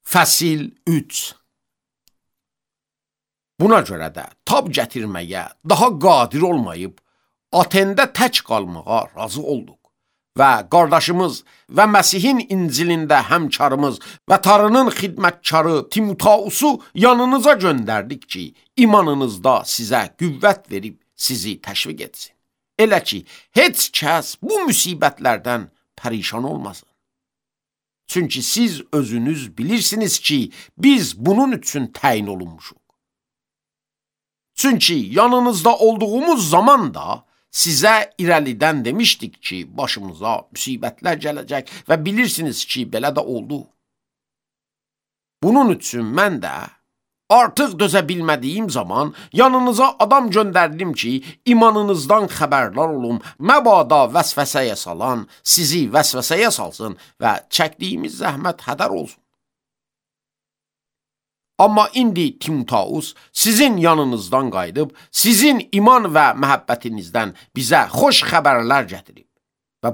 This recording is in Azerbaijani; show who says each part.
Speaker 1: Fəsil 3. Buna görə də tab gətirməyə daha qadir olmayıb, Atendə tək qalmağa razı olduq və qardaşımız və Məsihin İncilində həmkarımız və Tanrının xidmətkarı Timotausu yanınıza göndərdik ki, imanınızda sizə qüvvət verib sizi təşviq etsin. Elə ki, heç kəs bu müsibətlərdən pərişan olmasın. Çünki siz özünüz bilirsiniz ki, biz bunun üçün təyin olunmuşuq. Çünki yanınızda olduğumuz zaman da sizə irəlidən demişdik ki, başımıza müsibətlər gələcək və bilirsiniz ki, belə də oldu. Bunun üçün mən də artıq dözə bilmədiyim zaman yanınıza adam göndərdim ki, imanınızdan xəbərdar olum, məbada vəsvəsəyə salan, sizi vəsvəsəyə salsın və çəkdiyimiz zəhmət hədər olsun. Amma indi Timotaus sizin yanınızdan qayıdıb, sizin iman və məhəbbətinizdən bizə xoş xəbərlər gətirib və